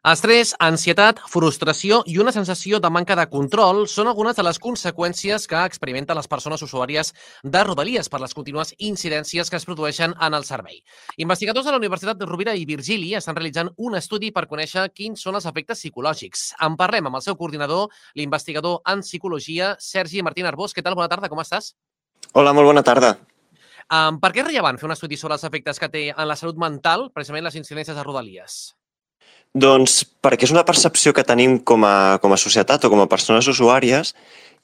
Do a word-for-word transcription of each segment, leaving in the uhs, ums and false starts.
Estrès, ansietat, frustració i una sensació de manca de control són algunes de les conseqüències que experimenten les persones usuàries de Rodalies per les contínues incidències que es produeixen en el servei. Investigadors de la Universitat de Rovira i Virgili estan realitzant un estudi per conèixer quins són els efectes psicològics. En parlem amb el seu coordinador, l'investigador en psicologia, Sergi Martín Arbós. Què tal? Bona tarda, com estàs? Hola, molt bona tarda. Um, per què és rellevant fer un estudi sobre els efectes que té en la salut mental, precisament les incidències de Rodalies? Doncs perquè és una percepció que tenim com a, com a societat o com a persones usuàries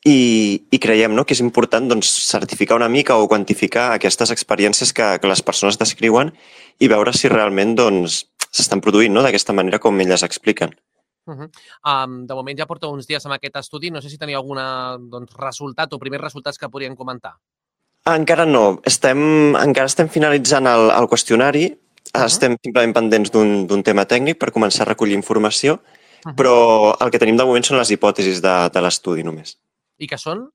i, i creiem, no?, que és important doncs, certificar una mica o quantificar aquestes experiències que, que les persones descriuen i veure si realment doncs, s'estan produint, no?, d'aquesta manera com elles expliquen. Uh -huh. um, de moment ja porta uns dies amb aquest estudi. No sé si teniu algun doncs, resultat o primers resultats que podrien comentar. Encara no. Estem, encara estem finalitzant el, el qüestionari. Uh-huh. Estem simplement pendents d'un tema tècnic per començar a recollir informació, uh-huh. però el que tenim de moment són les hipòtesis de, de l'estudi només. I què són?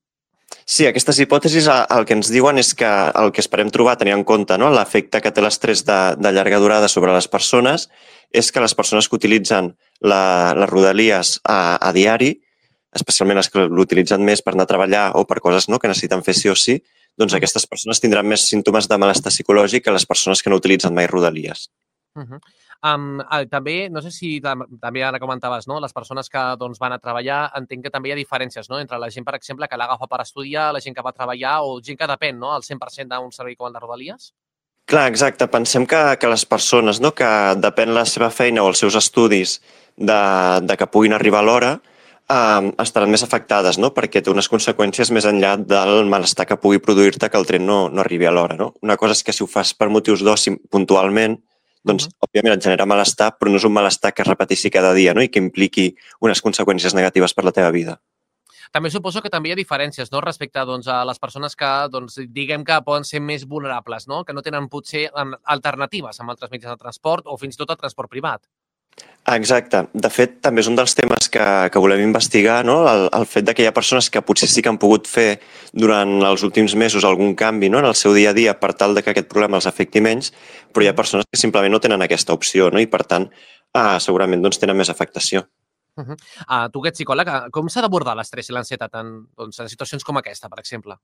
Sí, aquestes hipòtesis el que ens diuen és que el que esperem trobar, tenir en compte, no?, l'efecte que té l'estrès de, de llarga durada sobre les persones, és que les persones que utilitzen la, les Rodalies a, a diari, especialment les que l'utilitzen més per anar a treballar o per coses, no?, que necessiten fer sí o sí, doncs aquestes persones tindran més símptomes de malestar psicològic que les persones que no utilitzen mai Rodalies. Uh -huh. um, també, no sé si també ara comentaves, no?, les persones que doncs, van a treballar, entenc que també hi ha diferències, no?, entre la gent, per exemple, que l'agafa per estudiar, la gent que va a treballar o gent que depèn, no?, al cent per cent d'un servei com el de Rodalies? Clar, exacte. Pensem que, que les persones, no?, que depèn la seva feina o els seus estudis de, de que puguin arribar a l'hora, Uh, estaran més afectades, no?, perquè té unes conseqüències més enllà del malestar que pugui produir-te que el tren no, no arribi a l'hora, no? Una cosa és que si ho fas per motius d'oci puntualment, doncs, uh -huh. òbviament, et genera malestar, però no és un malestar que es repeteixi cada dia, no?, i que impliqui unes conseqüències negatives per la teva vida. També suposo que també hi ha diferències, no?, respecte doncs, a les persones que, doncs, diguem que poden ser més vulnerables, no?, que no tenen potser alternatives amb altres mitjans de transport o fins i tot el transport privat. Exacte. De fet, també és un dels temes que, que volem investigar, no?, el, el fet de que hi ha persones que potser sí que han pogut fer durant els últims mesos algun canvi, no?, en el seu dia a dia per tal de que aquest problema els afecti menys, però hi ha persones que simplement no tenen aquesta opció, no?, i per tant eh, segurament doncs, tenen més afectació. Uh -huh. uh, tu que ets psicòleg, com s'ha d'abordar l'estrès i l'ansietat en, doncs, en situacions com aquesta, per exemple?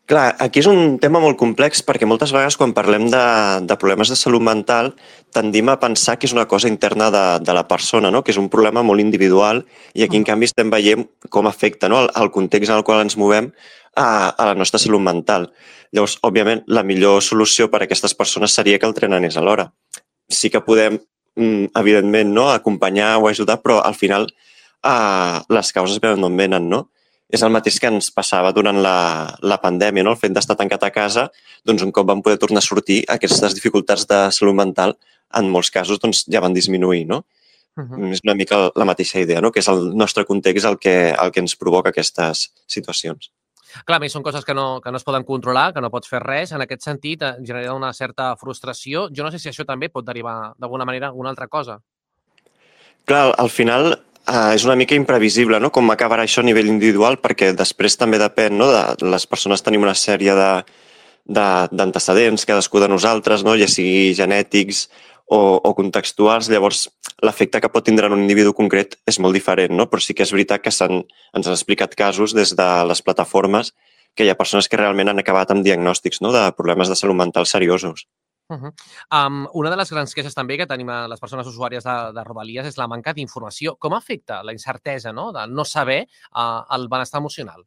Clar, aquí és un tema molt complex perquè moltes vegades quan parlem de, de problemes de salut mental tendim a pensar que és una cosa interna de, de la persona, no?, que és un problema molt individual i aquí en canvi estem veient com afecta, no?, el, el context en el qual ens movem a, a la nostra salut mental. Llavors, òbviament, la millor solució per a aquestes persones seria que el tren anés a l'hora. Sí que podem, evidentment, no?, acompanyar o ajudar, però al final eh, les causes venen d'on venen, no? És el mateix que ens passava durant la, la pandèmia, no?, el fet d'estar tancat a casa, doncs un cop vam poder tornar a sortir, aquestes dificultats de salut mental, en molts casos, doncs ja van disminuir, no? Uh -huh. És una mica la mateixa idea, no?, que és el nostre context el que, el que ens provoca aquestes situacions. Clar, a més, són coses que no, que no es poden controlar, que no pots fer res. En aquest sentit, genera una certa frustració. Jo no sé si això també pot derivar, d'alguna manera, alguna altra cosa. Clar, al final eh, és una mica imprevisible, no?, com acabarà això a nivell individual, perquè després també depèn, no?, de les persones tenim una sèrie de d'antecedents, cadascú de nosaltres, no?, ja sigui genètics o, o contextuals. Llavors, l'efecte que pot tindre en un individu concret és molt diferent, no?, però sí que és veritat que s'han, ens han explicat casos des de les plataformes que hi ha persones que realment han acabat amb diagnòstics, no?, de problemes de salut mental seriosos. Uh -huh. um, una de les grans queixes també que tenim a les persones usuàries de, de Rodalies és la manca d'informació. Com afecta la incertesa, no?, de no saber uh, el benestar emocional?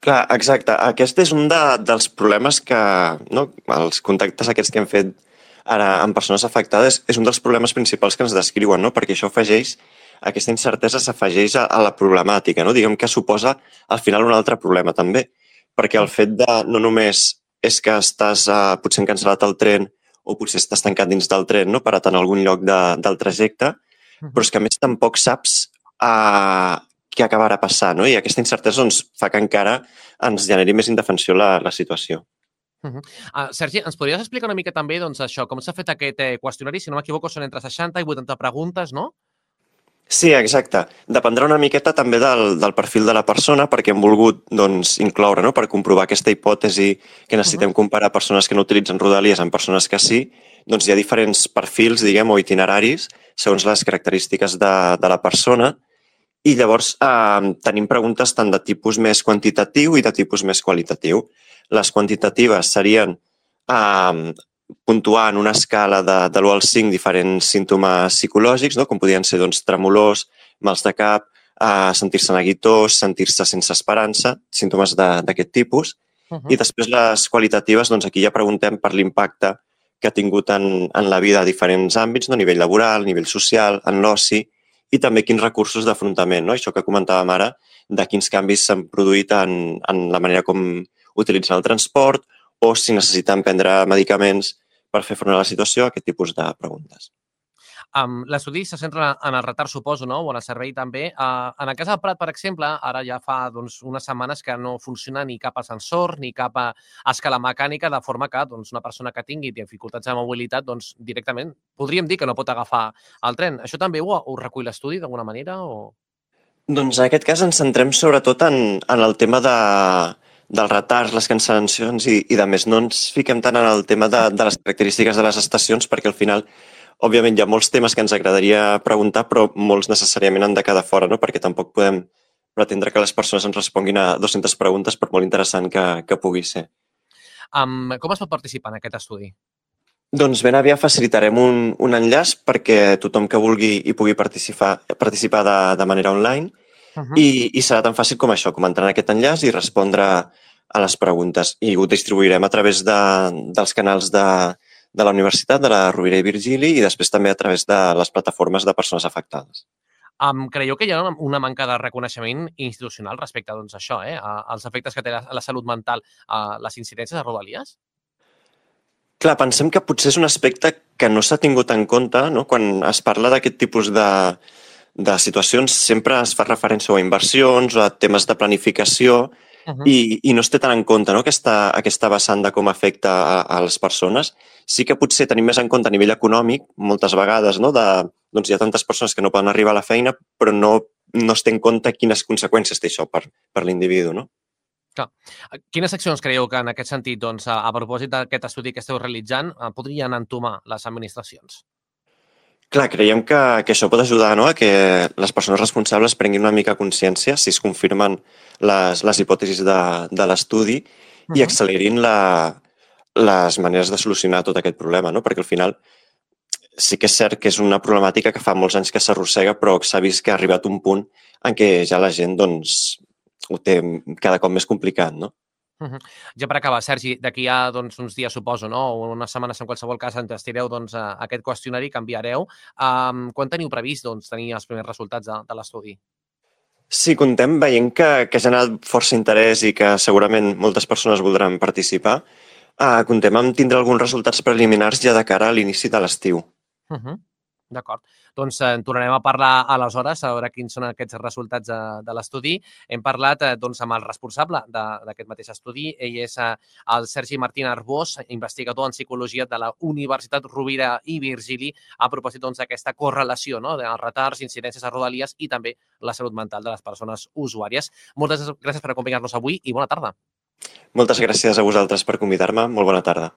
Clar, exacte. Aquest és un de, dels problemes que, no, els contactes aquests que hem fet ara amb persones afectades, és un dels problemes principals que ens descriuen, no?, perquè això afegeix, aquesta incertesa s'afegeix a, a la problemàtica, no?, diguem que suposa al final un altre problema també, perquè el fet de no només és que estàs uh, potser cancel·lat al tren o potser estàs tancat dins del tren, no?, parat en algun lloc de, del trajecte, però és que a més tampoc saps uh, què acabarà passant, no?, i aquesta incertesa doncs, fa que encara ens generi més indefensió la, la situació. Uh -huh. uh, Sergi, ens podries explicar una mica també doncs, això, com s'ha fet aquest eh, qüestionari? Si no m'equivoco, són entre seixanta i vuitanta preguntes, no? Sí, exacte. Dependrà una miqueta també del, del perfil de la persona perquè hem volgut doncs, incloure, no?, per comprovar aquesta hipòtesi que necessitem uh -huh. comparar persones que no utilitzen Rodalies amb persones que sí, doncs hi ha diferents perfils, diguem, o itineraris segons les característiques de, de la persona. I llavors eh, tenim preguntes tant de tipus més quantitatiu i de tipus més qualitatiu. Les quantitatives serien eh, puntuar en una escala de, de l'u al cinc diferents símptomes psicològics, no? Com podrien ser doncs, tremolors, mals de cap, eh, sentir-se neguitós, sentir-se sense esperança, símptomes d'aquest tipus. Uh -huh. I després les qualitatives, doncs aquí ja preguntem per l'impacte que ha tingut en, en la vida a diferents àmbits, no? A nivell laboral, a nivell social, en l'oci, i també quins recursos d'afrontament, no? Això que comentàvem ara, de quins canvis s'han produït en, en la manera com utilitzen el transport o si necessiten prendre medicaments per fer front a la situació, aquest tipus de preguntes. Um, L'estudi se centra en el retard, suposo, no? O en el servei també. Uh, en el cas del Prat, per exemple, ara ja fa doncs, unes setmanes que no funciona ni cap ascensor ni cap escala mecànica, de forma que doncs, una persona que tingui dificultats de mobilitat doncs, directament podríem dir que no pot agafar el tren. Això també ho, ho recull l'estudi d'alguna manera? O... Doncs en aquest cas ens centrem sobretot en, en el tema de, dels retards, les cancel·lacions i, i de més. No ens fiquem tant en el tema de, de les característiques de les estacions perquè al final òbviament hi ha molts temes que ens agradaria preguntar, però molts necessàriament han de quedar fora, no? Perquè tampoc podem pretendre que les persones ens responguin a dues-centes preguntes, per molt interessant que, que pugui ser. Um, com es pot participar en aquest estudi? Doncs ben aviat facilitarem un, un enllaç perquè tothom que vulgui hi pugui participar, participar de, de manera online uh -huh. i, i serà tan fàcil com això, com entrar en aquest enllaç i respondre a les preguntes. I ho distribuirem a través de, dels canals de de la Universitat, de la Rovira i Virgili i després també a través de les plataformes de persones afectades. Um, creieu que hi ha una manca de reconeixement institucional respecte doncs, a això, eh? als efectes que té la, la salut mental a les incidències de Rodalies? Clar, pensem que potser és un aspecte que no s'ha tingut en compte, no? Quan es parla d'aquest tipus de, de situacions sempre es fa referència a inversions o a temes de planificació Uh -huh. I, i no es té tan en compte, no? aquesta, aquesta vessant de com afecta a, a les persones. Sí que potser tenim més en compte a nivell econòmic, moltes vegades, no? de, doncs hi ha tantes persones que no poden arribar a la feina, però no, no es té en compte quines conseqüències té això per, per l'individu. No? Clar. Quines accions creieu que en aquest sentit, doncs, a, a propòsit d'aquest estudi que esteu realitzant, podrien entomar les administracions? Clar, creiem que, que això pot ajudar, no? A que les persones responsables prenguin una mica consciència si es confirmen les, les hipòtesis de, de l'estudi uh -huh. i accelerin la, les maneres de solucionar tot aquest problema, no? Perquè al final sí que és cert que és una problemàtica que fa molts anys que s'arrossega, però s'ha vist que ha arribat un punt en què ja la gent doncs, ho té cada cop més complicat, no? Uh -huh. Ja per acabar, Sergi, d'aquí a doncs, uns dies, suposo, no? o unes setmanes en qualsevol cas, enllestireu doncs, aquest qüestionari que enviareu. Um, quan teniu previst doncs, tenir els primers resultats de, de l'estudi? Sí, contem veient que, que ha generat força interès i que segurament moltes persones voldran participar. Uh, contem amb tindre alguns resultats preliminars ja de cara a l'inici de l'estiu. Uh -huh. D'acord. Doncs eh, en tornarem a parlar aleshores, a veure quins són aquests resultats de, de l'estudi. Hem parlat eh, doncs, amb el responsable d'aquest mateix estudi. Ell és eh, el Sergi Martín Arbós, investigador en psicologia de la Universitat Rovira i Virgili, a propòsit d'aquesta doncs, correlació no? dels retards, incidències a Rodalies i també la salut mental de les persones usuàries. Moltes gràcies per acompanyar-nos avui i bona tarda. Moltes gràcies a vosaltres per convidar-me. Molt bona tarda.